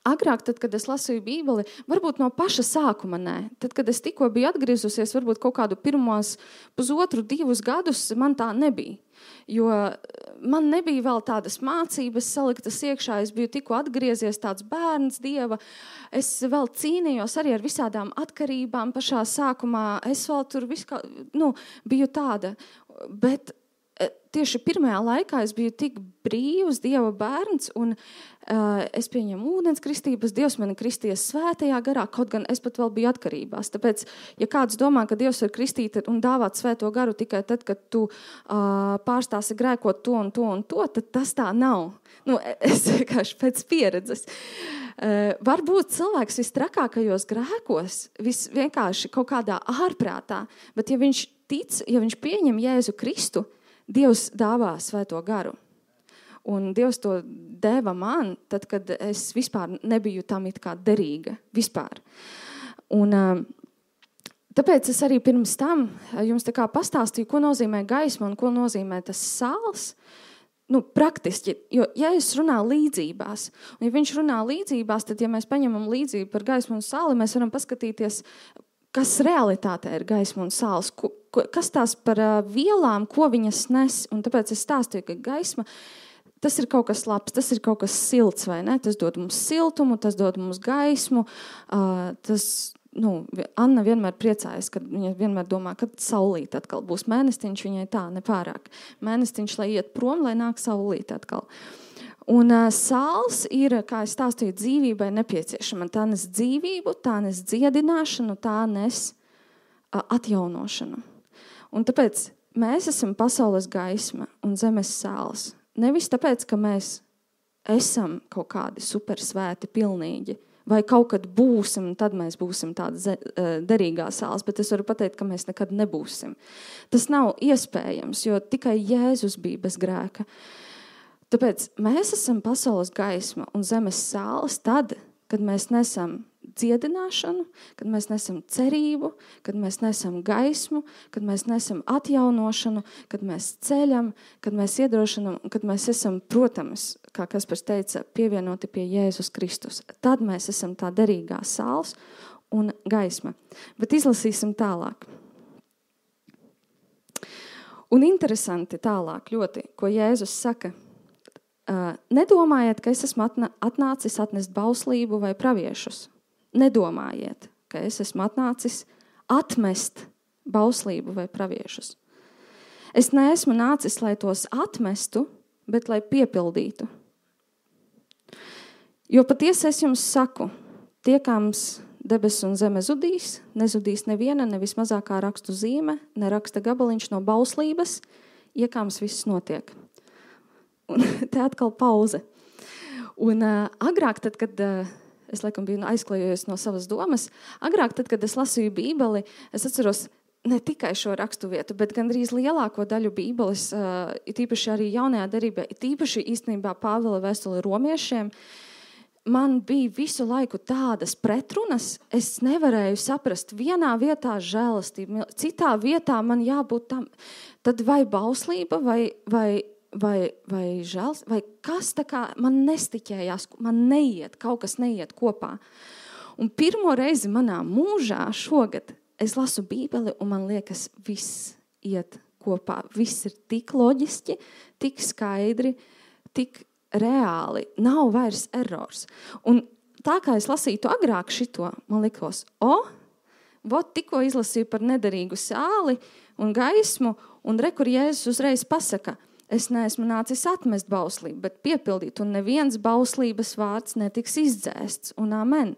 agrāk, tad, kad es lasīju Bībeli, varbūt no paša sākuma nē. Tad, kad es tikko biju atgriezusies, varbūt kaut kādu pirmos 1,5–2 gadus, man tā nebija. Jo man nebija vēl tādas mācības saliktas iekšā, es biju tikko atgriezies tāds bērns Dieva. Es vēl cīnījos arī ar visādām atkarībām pašā sākumā. Es vēl tur biju tāda, bet tieši pirmajā laikā es biju tik brīvs Dieva bērns, un es pieņemu ūdens kristības, Dievs mani kristies svētajā garā, kaut gan es pat vēl biju atkarībās. Tāpēc, ja kāds domā, ka Dievs var kristīt un dāvāt svēto garu tikai tad, kad tu pārstāsi grēkot to un to un to, tad tas tā nav. Es vienkārši pēc pieredzes. Varbūt cilvēks vistrakākajos grēkos, vienkārši kaut kādā ārprātā, bet ja viņš tic, ja viņš pieņem Jēzu Kristu, Dievs dāvā svēto garu. Un Dievs to deva man, tad, kad es vispār nebiju tam it kā derīga. Vispār. Un tāpēc es arī pirms tam jums tā kā pastāstīju, ko nozīmē gaisma un ko nozīmē tas sāls. Praktiski, jo ja es runāju līdzībās, un ja viņš runā līdzībās, tad ja mēs paņemam līdzību par gaismu un sāli, mēs varam paskatīties, kas realitātē ir gaisma un sāls, kas tās par vielām, ko viņas nes. Un tāpēc es stāstīju, ka gaisma, tas ir kaut kas labs, tas ir kaut kas silts, vai ne? Tas dod mums siltumu, tas dod mums gaismu. Anna vienmēr priecājas, kad viņa vienmēr domā, kad saulīt atkal būs mēnestiņš, viņai tā nepārāk. Mēnestiņš, lai iet prom, lai nāk saulīt atkal. Un sāls ir, kā es stāstīju, dzīvībai nepieciešama. Tā nes dzīvību, tā nes dziedināšanu, tā nes atjaunošanu. Un tāpēc mēs esam pasaules gaisma un zemes sāls. Nevis tāpēc, ka mēs esam kaut kādi supersvēti, pilnīgi, vai kaut kad būsim, tad mēs būsim tāda derīgā sāls, bet es varu pateikt, ka mēs nekad nebūsim. Tas nav iespējams, jo tikai Jēzus bija bez grēka. Tāpēc mēs esam pasaules gaisma un zemes sāls tad, kad mēs nesam dziedināšanu, kad mēs nesam cerību, kad mēs nesam gaismu, kad mēs nesam atjaunošanu, kad mēs ceļam, kad mēs iedrošinam, kad mēs esam, protams, kā Kaspars teica, pievienoti pie Jēzus Kristus. Tad mēs esam tā derīgā sāls un gaisma. Bet izlasīsim tālāk. Un interesanti tālāk ļoti, ko Jēzus saka. nedomājiet, ka es esmu atnācis atnest bauslību vai praviešus. Nedomājiet, ka es esmu atnācis atmest bauslību vai praviešus. Es neesmu nācis, lai tos atmestu, bet lai piepildītu. Jo patiesi es jums saku, tiekams debes un zeme zudīs, nezudīs neviena, ne vismazākā rakstu zīme, ne raksta gabaliņš no bauslības, iekāms viss notiek. Un te atkal pauze. Un agrāk, tad, kad es laikam biju aizklējojies no savas domas, agrāk, tad, kad es lasīju Bībeli, es atceros ne tikai šo rakstu vietu, bet gandrīz lielāko daļu Bībeles, tīpaši arī jaunajā derībā, tīpaši īstenībā Pāvila vēstuli romiešiem, man bija visu laiku tādas pretrunas, es nevarēju saprast vienā vietā žēlastību, citā vietā man jābūt tam, tad vai bauslība, vai žēls, vai kas tā kā man nestiķējās, man neiet, kaut kas neiet kopā. Un pirmo reizi manā mūžā šogad es lasu Bībeli un man liekas, viss iet kopā. Viss ir tik loģiski, tik skaidri, tik reāli. Nav vairs errors. Un tā kā es lasītu agrāk šito, man likos, tikko izlasīju par nederīgu sāli un gaismu, un kur Jēzus uzreiz pasaka, es neesmu nācis atmest bauslību, bet piepildīt, un neviens bauslības vārds netiks izdzēsts, un amen.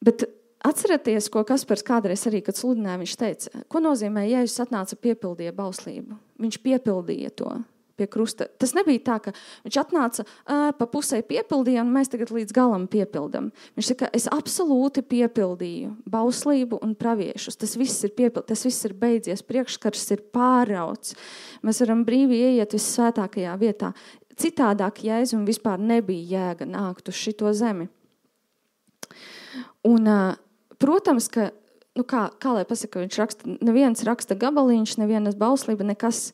Bet atcerieties, ko Kaspars kādreiz arī, kad sludināja, viņš teica, ko nozīmē, Jēzus atnāca piepildīja bauslību. Viņš piepildīja to pie krusta. Tas nebija tā, ka viņš atnāca pa pusē piepildīja, un mēs tagad līdz galam piepildam. Viņš saka, es absolūti piepildīju bauslību un praviešus. Tas viss ir tas viss ir beidzies, priekšskars ir pārauts. Mēs varam brīvi ieiet vissvētākajā vietā. Citādāk Jēzum vispār nebija jēga nākt uz šito zemi. Un, protams, ka, kā lai pasaka, viņš raksta, neviens raksta gabaliņš, nevienas bauslība, nekas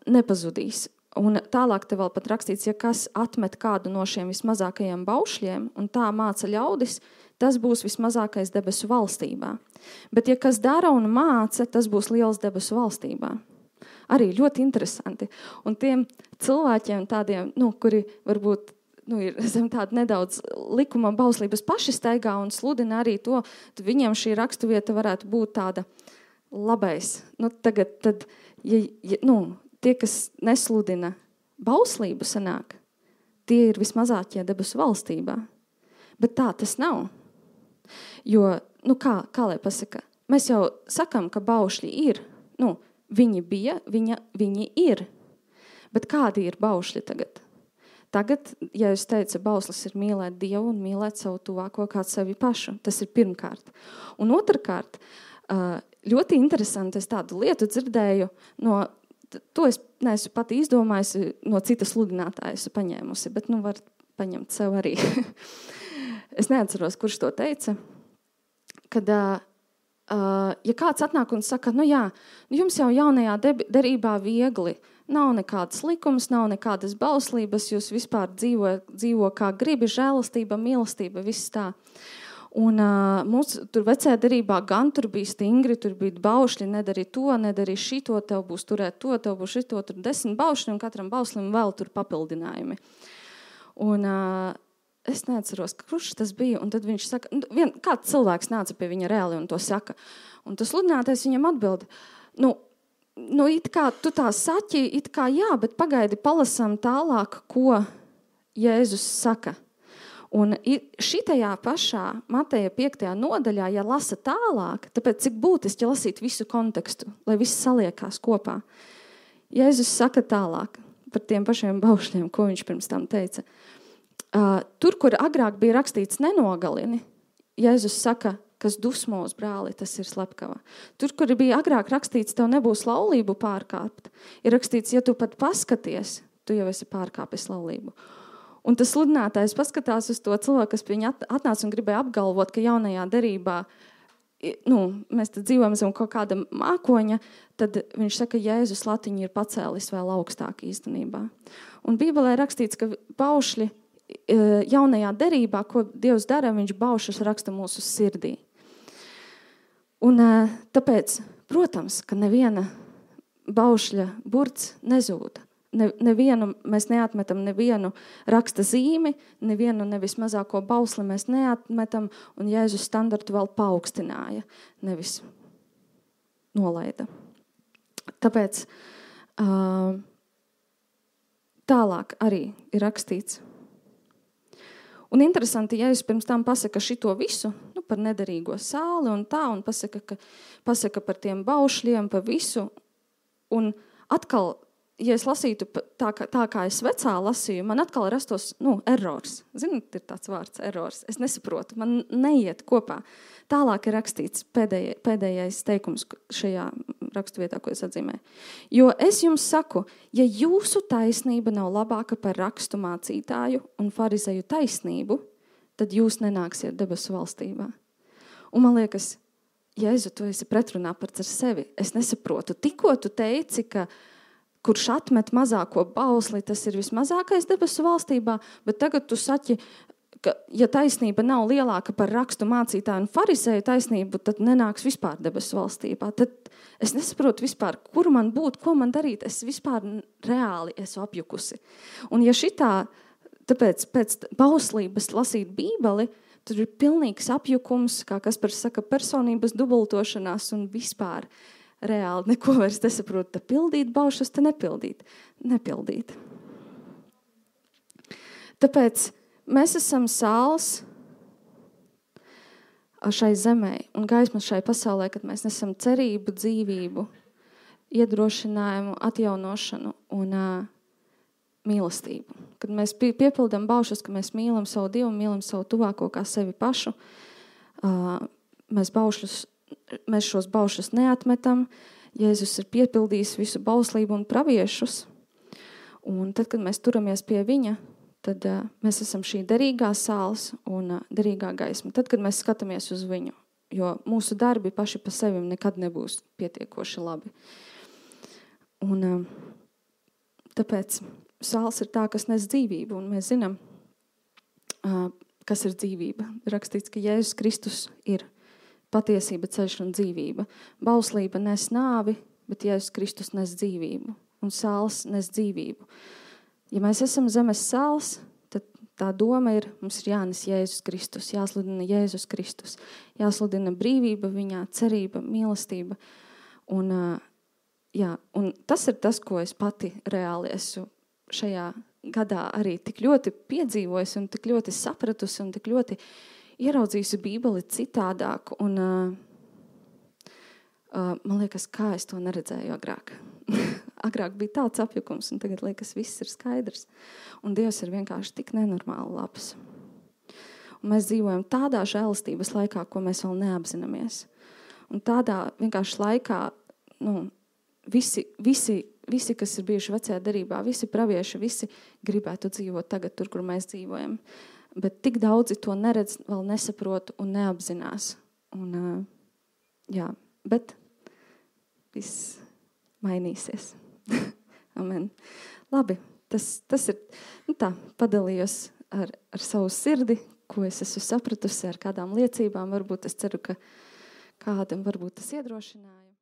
nepazudīs. Un tālāk te vēl pat rakstīts, ja kas atmet kādu no šiem vismazākajiem baušļiem, un tā māca ļaudis, tas būs vismazākais debesu valstībā. Bet ja kas dara un māca, tas būs liels debesu valstībā. Arī ļoti interesanti. Un tiem cilvēkiem tādiem, kuri varbūt ir zem tāda nedaudz likuma bauslības paši staigā un sludina arī to, tad viņiem šī rakstuvieta varētu būt tāda labais. Tagad, tad, tie, kas nesludina bauslību sanāk, tie ir vismazākie debesu valstībā. Bet tā tas nav. Jo, kā lai pasaka, mēs jau sakam, ka baušļi ir. Viņi bija, viņi ir. Bet kādi ir baušļi tagad? Tagad, ja jūs teica, bauslis ir mīlēt Dievu un mīlēt savu tuvāko kā sevi pašu. Tas ir pirmkārt. Un otrkārt, ļoti interesanti, es tādu lietu dzirdēju, to es neesmu pati izdomājusi, no citas sludinātājas paņēmusi, bet var paņemt sev arī. Es neatceros, kurš to teica, kad, ja kāds atnāk un saka, jums jau jaunajā derībā viegli, nav nekādas likums, nav nekādas bauslības, jūs vispār dzīvo kā gribi, žēlastība, mīlestība, viss tā. Un mums tur vecajā derībā gan tur bija stingri, tur bija baušļi, nedari to, nedari šito, tev būs turēt to, tev būs šito, tur 10 baušļi un katram baušlim vēl tur papildinājumi. Un es neatceros, kurš tas bija, un tad viņš saka, kāds cilvēks nāca pie viņa reāli un to saka. Un tas sludinātais viņam atbild, it kā tu tā saķi, it kā jā, bet pagaidi palasam tālāk, ko Jēzus saka. Un šitajā pašā Mateja 5. nodaļā, ja lasa tālāk, tāpēc cik būtiski lasīt visu kontekstu, lai viss saliekās kopā. Jēzus saka tālāk par tiem pašiem baušļiem, ko viņš pirms tam teica. Tur, kur agrāk bija rakstīts nenogalini, Jēzus saka, kas dusmo uz brāli, tas ir slepkava. Tur, kur bija agrāk rakstīts, tev nebūs laulību pārkāpt, ir rakstīts, ja tu pat paskaties, tu jau esi pārkāpis laulību. Un tas sludinātājs paskatās uz to cilvēku, kas pie viņa atnāca un gribēja apgalvot, ka jaunajā derībā, mēs tad dzīvojam zem kaut kāda mākoņa, tad viņš saka, Jēzus latiņu ir pacēlis vēl augstāk īstenībā. Un Bībelē rakstīts, ka baušļi jaunajā derībā, ko Dievs dara, viņš baušus raksta mūsu sirdī. Un tāpēc, protams, ka neviena baušļa burts nezūda. mēs neatmetam nevienu raksta zīmi, nevienu nevis mazāko bausli mēs neatmetam, un Jēzus standartu vēl paaugstināja, nevis nolaida. Tāpēc tālāk arī ir rakstīts. Un interesanti, Jēzus pirms tam pasaka šito visu, par nederīgo sāli un tā, un pasaka par tiem baušļiem, par visu. Un atkal, ja es lasītu tā kā es vecā lasīju, man atkal rastos, errors. Ziniet, ir tāds vārds, errors. Es nesaprotu, man neiet kopā. Tālāk ir rakstīts pēdējais teikums šajā raksturvietā, ko es atzīmēju. Jo es jums saku, ja jūsu taisnība nav labāka par rakstu mācītāju un farizeju taisnību, tad jūs nenāksiet debesu valstībā. Un man liekas, Jēzu, tu esi pretrunā pats ar sevi. Es nesaprotu. Tikko tu teici, ka kurš atmet mazāko bausli, tas ir vismazākais debesu valstībā, bet tagad tu saki, ka ja taisnība nav lielāka par rakstu mācītāju un fariseju taisnību, tad nenāks vispār debesu valstībā. Tad es nesaprotu vispār, kur man būt, ko man darīt. Es vispār reāli esmu apjukusi. Un ja šitā, tāpēc pēc bauslības lasīt Bībeli, tur ir pilnīgs apjukums, kā Kaspars saka, personības dubultošanās un vispār reāli neko vairs nesaprot. Te pildīt baušas, te nepildīt. Tāpēc mēs esam sāls šai zemē un gaisma šai pasaulē, kad mēs nesam cerību, dzīvību, iedrošinājumu, atjaunošanu un mīlestību. Kad mēs piepildam baušas, ka mēs mīlam savu Dievu, mīlam savu tuvāko kā sevi pašu, mēs šos baušas neatmetam. Jēzus ir piepildījis visu bauslību un praviešus. Un tad, kad mēs turamies pie viņa, tad mēs esam šī derīgā sāls un derīgā gaisma. Tad, kad mēs skatāmies uz viņu, jo mūsu darbi paši pa sevi nekad nebūs pietiekoši labi. Un tāpēc sāls ir tā, kas nes dzīvību, un mēs zinām, kas ir dzīvība. Rakstīts, ka Jēzus Kristus ir patiesība, ceļš un dzīvība. Bauslība nes nāvi, bet Jēzus Kristus nes dzīvību, un sāls nes dzīvību. Ja mēs esam zemes sāls, tad tā doma ir, mums ir jānes Jēzus Kristus, jāsludina Jēzus Kristus, jāsludina brīvība viņā, cerība, mīlestība. Un tas ir tas, ko es pati reāli esmu šajā gadā arī tik ļoti piedzīvojusi un tik ļoti sapratusi un tik ļoti ieraudzījusi Bībeli citādāk. Un man liekas, kā es to neredzēju agrāk. Agrāk bija tāds apjukums, un tagad liekas, viss ir skaidrs. Un Dievs ir vienkārši tik nenormāli labs. Un mēs dzīvojam tādā žēlastības laikā, ko mēs vēl neapzināmies. Un tādā vienkārši laikā, visi, kas ir bijuši vecajā derībā, visi pravieši, visi gribētu dzīvot tagad tur, kur mēs dzīvojam. Bet tik daudzi to neredz, vēl nesaprot un neapzinās. Un, bet viss mainīsies. Amen. Labi, tas ir padalījos ar savu sirdi, ko es esmu sapratusi ar kādām liecībām. Varbūt es ceru, ka kādam varbūt tas iedrošināja.